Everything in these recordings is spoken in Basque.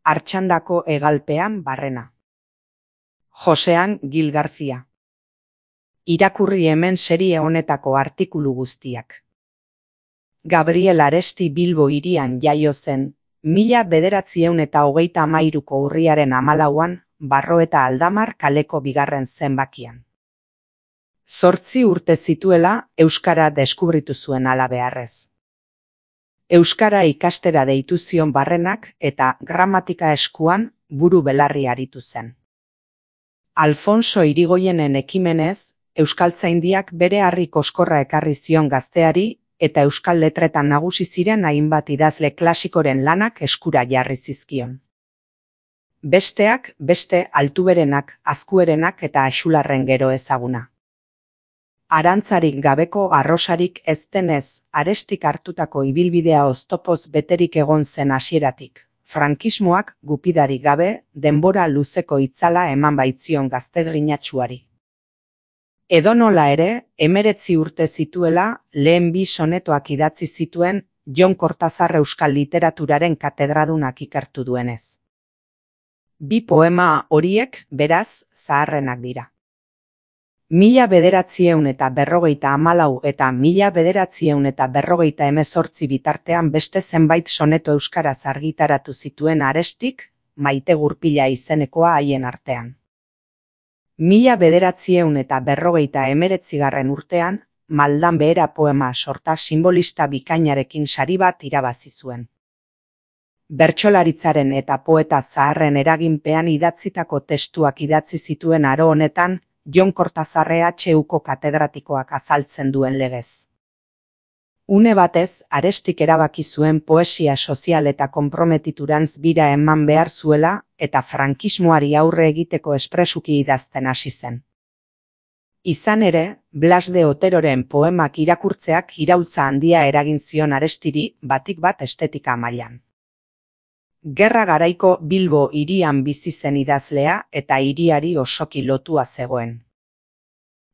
Artxandako hegalpean barrena. Josean Gil Garcia. Irakurri hemen serie honetako artikulu guztiak. Gabriel Aresti Bilbo hirian jaio zen, 1933ko urriaren 14an, Barroeta Aldamar kaleko bigarren zenbakian. 8 urte zituela, euskara deskubritu zuen halabeharrez. Euskara ikastera deitu zion barrenak eta gramatika eskuan buru belarri aritu zen. Alfonso Irigoyenen ekimenez, Euskaltzaindiak bere harri koskorra ekarri zion gazteari eta euskal letretan nagusi ziren hainbat idazle klasikoren lanak eskura jarri zizkion. Besteak beste Altuberenak, Azkuerenak eta Axularren gero ezaguna. Arantzarik gabeko arrosarik ez denez, Arestik hartutako ibilbidea oztopoz beterik egon zen hasieratik. Frankismoak gupidarik gabe, denbora luzeko itzala eman baitzion gaztegrinatsuari. Edonola ere, 19 urte zituela, lehen 2 sonetoak idatzi zituen Jon Kortazar euskal literaturaren katedradunak ikertu duenez. 2 poema horiek, beraz, zaharrenak dira. 1954 eta 1958 bitartean beste zenbait soneto euskaraz argitaratu zituen Arestik, Maite Gurpila izenekoa haien artean. 1959 urtean, Maldan Behera poema sorta sinbolista bikainarekin sari bat irabazi zuen. Bertsolaritzaren eta poeta zaharren eraginpean idatzitako testuak idatzi zituen aro honetan, Jon Kortazar EHUko katedratikoak azaltzen duen legez. Une batez, Arestik erabaki zuen poesia sozial eta konprometiturantz bira eman behar zuela eta frankismoari aurre egiteko espresuki idazten hasi zen. Izan ere, Blas de Oteroren poemak irakurtzeak iraultza handia eragin zion Arestiri batik bat estetika mailan. Gerra garaiko Bilbo hirian bizi zen idazlea eta hiriari osoki lotua zegoen.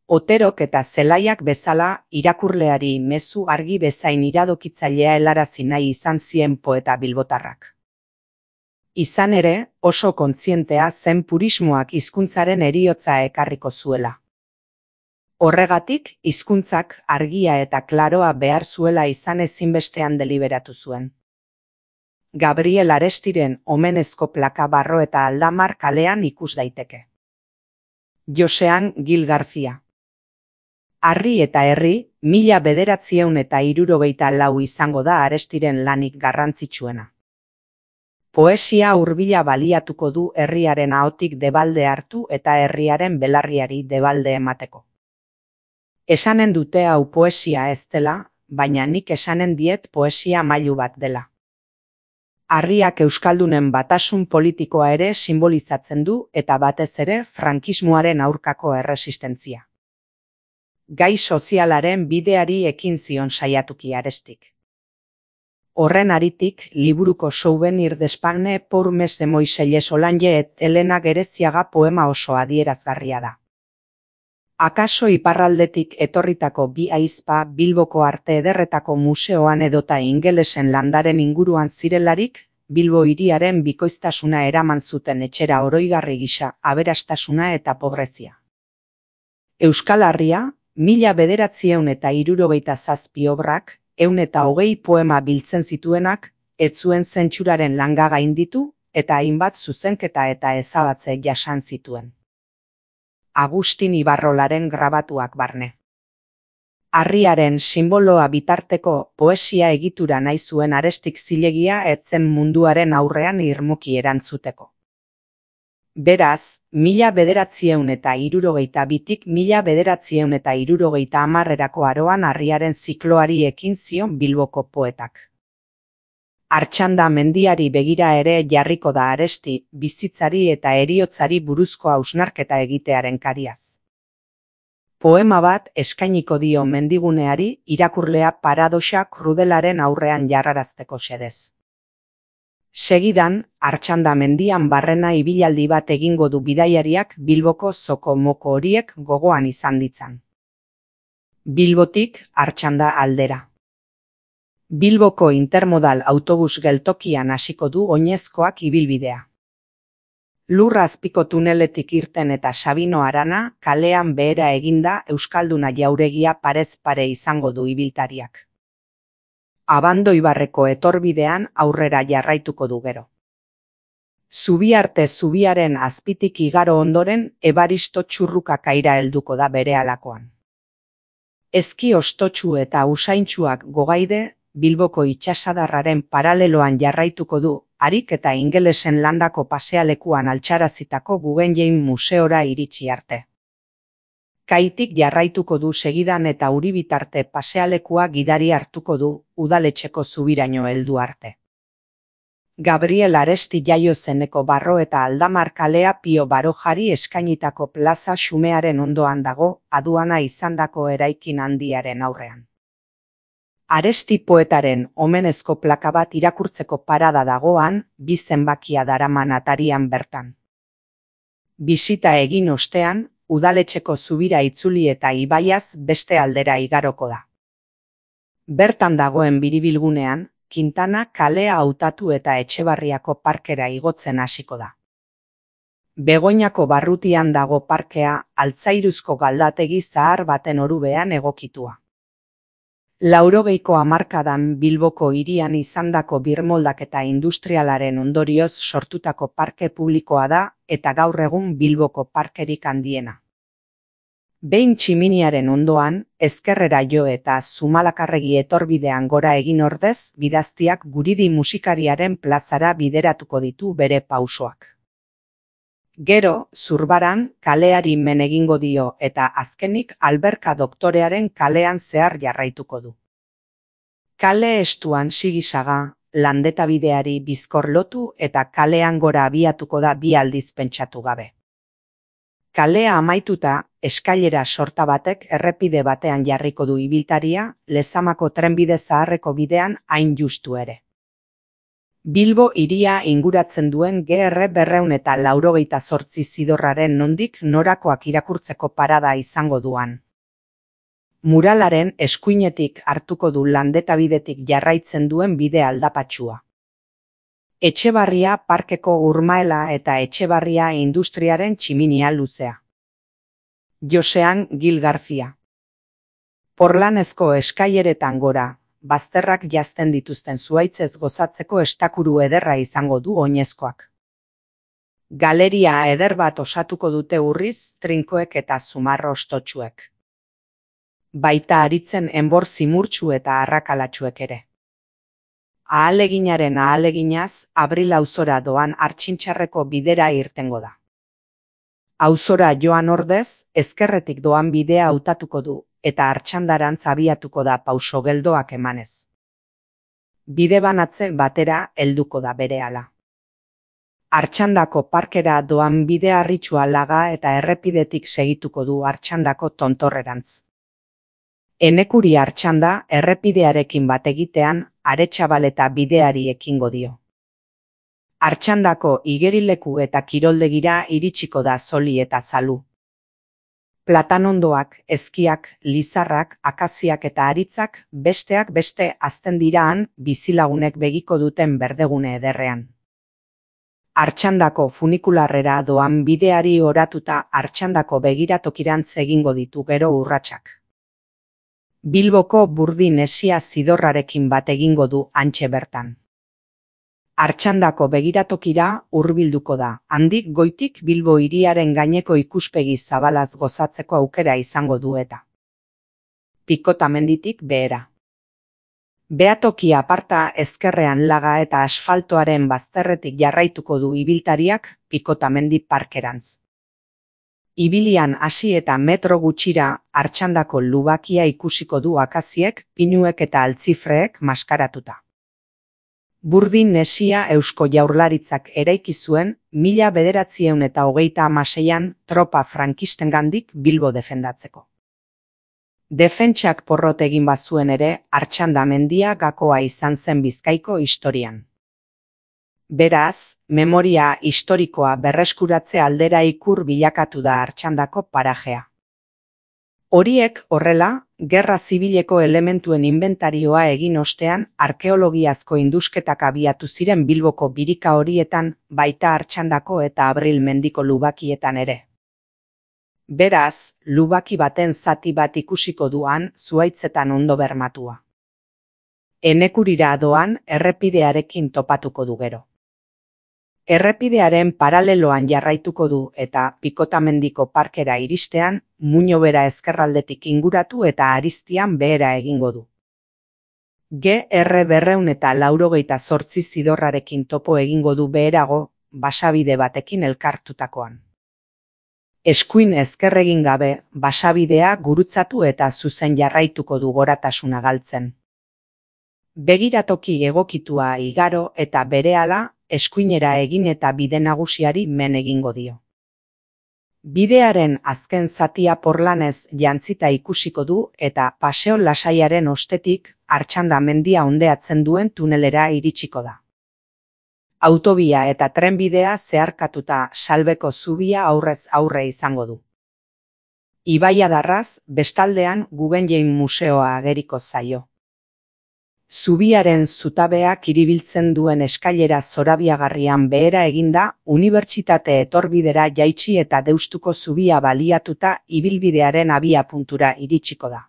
Oterok eta Zelaiak bezala irakurleari mezu argi bezain iradokitzailea helarazi nahi izan zien poeta bilbotarrak. Izan ere, oso kontzientea zen purismoak hizkuntzaren heriotza ekarriko zuela. Horregatik, hizkuntzak argia eta klaroa behar zuela izan ezinbestean deliberatu zuen. Gabriel Arestiren omenezko plaka Barroeta Aldamar kalean ikus daiteke. Josean Gil Garcia. Harri eta herri, 1964 izango da Arestiren lanik garrantzitsuena. Poesia hurbila baliatuko du herriaren ahotik debalde hartu eta herriaren belarriari debalde emateko. Esanen dute hau poesia ez dela, baina nik esanen diet poesia mailu bat dela. Harriak euskaldunen batasun politikoa ere simbolizatzen du eta batez ere frankismoaren aurkako erresistentzia. Gai sozialaren bideari ekin zion saiatuki Arestik. Horren haritik, liburuko Souvenir d'Espagne pour mes de Moiselles Olange et Elena Gereziaga poema oso adierazgarria da. Akaso iparraldetik etorritako 2 ahizpa Bilboko Arte Ederretako museoan edota ingelesen landaren inguruan zirelarik, Bilbo hiriaren bikoiztasuna eraman zuten etxera oroigarri gisa aberastasuna eta pobrezia. Euskal Herria, 1967 obrak, 120 poema biltzen zituenak, ez zuen zentsuraren langa gainditu eta hainbat zuzenketa eta ezabatze jasan zituen. Agustin Ibarrolaren grabatuak barne. Harriaren simboloa bitarteko poesia egitura nahi zuen Arestik zilegia ez zen munduaren aurrean irmoki erantzuteko. Beraz, 1962tik 1970erako aroan harriaren zikloari ekin zion Bilboko poetak. Artxanda mendiari begira ere jarriko da Aresti bizitzari eta heriotzari buruzko hausnarketa egitearen kariaz. Poema bat eskainiko dio mendiguneari irakurlea paradoxa krudelaren aurrean jarrarazteko xedez. Segidan, Artxanda mendian barrena ibilaldi bat egingo du bidaiariak Bilboko zoko moko horiek gogoan izan ditzan. Bilbotik Artxanda aldera. Bilboko intermodal autobus geltokian hasiko du oinezkoak ibilbidea. Lur azpiko tuneletik irten eta Sabino Arana kalean behera eginda Euskalduna jauregia parez pare izango du ibiltariak. Abandoibarreko etorbidean aurrera jarraituko du gero. Zubiarte zubiaren azpitik igaro ondoren Ebaristo Txurruka kaira helduko da berehalakoan. Ezki ostotsu eta usaintsuak gogaide Bilboko itsasadarraren paraleloan jarraituko du, harik eta ingelesen landako pasealekuan altxarazitako Guggenheim museora iritsi arte. Kaitik jarraituko du segidan eta Uribitarte pasealekua gidari hartuko du, udaletxeko zubiraino heldu arte. Gabriel Aresti jaio zeneko Barro eta Aldamar kalea Pio Barojari eskainitako plaza xumearen ondoan dago, aduana izandako eraikin handiaren aurrean. Aresti poetaren omenezko plaka bat irakurtzeko parada dagoan, bi zenbakia daraman atarian bertan. Bisita egin ostean, udaletxeko zubira itzuli eta ibaiaz beste aldera igaroko da. Bertan dagoen biribilgunean, Quintana kalea hautatu eta Etxebarriako parkera igotzen hasiko da. Begoñako barrutian dago parkea, altzairuzko galdategi zahar baten orubean egokitua. 80ko hamarkadan Bilboko hirian izandako birmoldaketa industrialaren ondorioz sortutako parke publikoa da eta gaur egun Bilboko parkerik handiena. Behin tximiniaren ondoan, ezkerrera jo eta Zumalakarregi etorbidean gora egin ordez, bidaztiak Guridi musikariaren plazara bideratuko ditu bere pausoak. Gero, Zurbaran, kaleari men egingo dio eta azkenik Alberka doktorearen kalean zehar jarraituko du. Kale estuan Sigisaga, Landeta bideari bizkor lotu eta kalean gora abiatuko da bi aldiz pentsatu gabe. Kalea amaituta, eskailera sorta batek errepide batean jarriko du ibiltaria, Lezamako trenbide zaharreko bidean hain justu ere. Bilbo hiria inguratzen duen GR 288 zidorraren nondik norakoak irakurtzeko parada izango duan. Muralaren eskuinetik hartuko du Landeta bidetik jarraitzen duen bide aldapatsua. Etxebarria parkeko urmaela eta Etxebarria industriaren tximinia luzea. Josean Gil García. Porlanezko eskaileretan gora, bazterrak jazten dituzten zuhaitzez gozatzeko estakuru ederra izango du oinezkoak. Galeria eder bat osatuko dute urriz, trinkoek eta zumarro ostotsuek. Baita aritzen enbor zimurtsu eta arrakalatsuek ere. Ahaleginaren ahaleginaz, Abril auzora doan Artxintxarreko bidera irtengo da. Auzora joan ordez, ezkerretik doan bidea hautatuko du, eta Artxandarantz abiatuko da pauso geldoak emanez. Bide banatze batera helduko da berehala. Artxandako parkera doan bide harritxua laga eta errepidetik segituko du Artxandako tontorrerantz. Enekuri Artxanda errepidearekin bat egitean Aretxabaleta bideari ekingo dio. Artxandako igerileku eta kiroldegira iritsiko da Zoli eta Zalu. Platanondoak, ezkiak, lizarrak, akaziak eta aritzak besteak beste hazten diraan bizilagunek begiko duten berdegune ederrean. Artxandako funikularrera doan bideari oratuta Artxandako begiratokirantz egingo ditu gero urratsak. Bilboko Burdin Esia zidorrarekin bat egingo du hantxe bertan. Artxandako begiratokira hurbilduko da, handik goitik Bilbo hiriaren gaineko ikuspegi zabalaz gozatzeko aukera izango du eta. Pikotamenditik behera. Behatoki aparta ezkerrean laga eta asfaltoaren bazterretik jarraituko du ibiltariak Pikotamendi parkerantz. Ibilian hasi eta metro gutxira Artxandako lubakia ikusiko du akaziek, pinuek eta altzifreek maskaratuta. Burdin Esia Eusko Jaurlaritzak eraiki zuen 1926an tropa frankistengandik Bilbo defendatzeko. Defentsak porrot egin bazuen ere, Artxanda mendia gakoa izan zen Bizkaiko historian. Beraz, memoria historikoa berreskuratze aldera ikur bilakatu da Artxandako parajea. Horiek, horrela, gerra zibileko elementuen inbentarioa egin ostean arkeologiazko indusketak abiatu ziren Bilboko birika horietan, baita Artxandako eta Abril mendiko lubakietan ere. Beraz, lubaki baten zati bat ikusiko duan zuhaitzetan ondo bermatua. Enekurira doan errepidearekin topatuko du gero. Errepidearen paraleloan jarraituko du eta Pikotamendiko parkera iristean, Muño bera ezkerraldetik inguratu eta Aristian behera egingo du. GR 298 zidorrarekin topo egingo du beherago, basabide batekin elkartutakoan. Eskuin ezkerregin gabe, basabidea gurutzatu eta zuzen jarraituko du goratasuna galtzen. Begiratoki egokitua igaro eta berehala, eskuinera egin eta bide nagusiari men egingo dio. Bidearen azken zatia porlanez jantzita ikusiko du eta paseo lasaiaren ostetik Artxanda mendia ondeatzen duen tunelera iritsiko da. Autobia eta trenbidea zeharkatuta Salbeko zubia aurrez aurre izango du. Ibaiadarraz, bestaldean Guggenheim museoa ageriko zaio. Zubiaren zutabeak iribiltzen duen eskailera zorabiagarrian behera eginda, unibertsitate etorbidera jaitsi eta Deustuko zubia baliatuta ibilbidearen abiapuntura iritsiko da.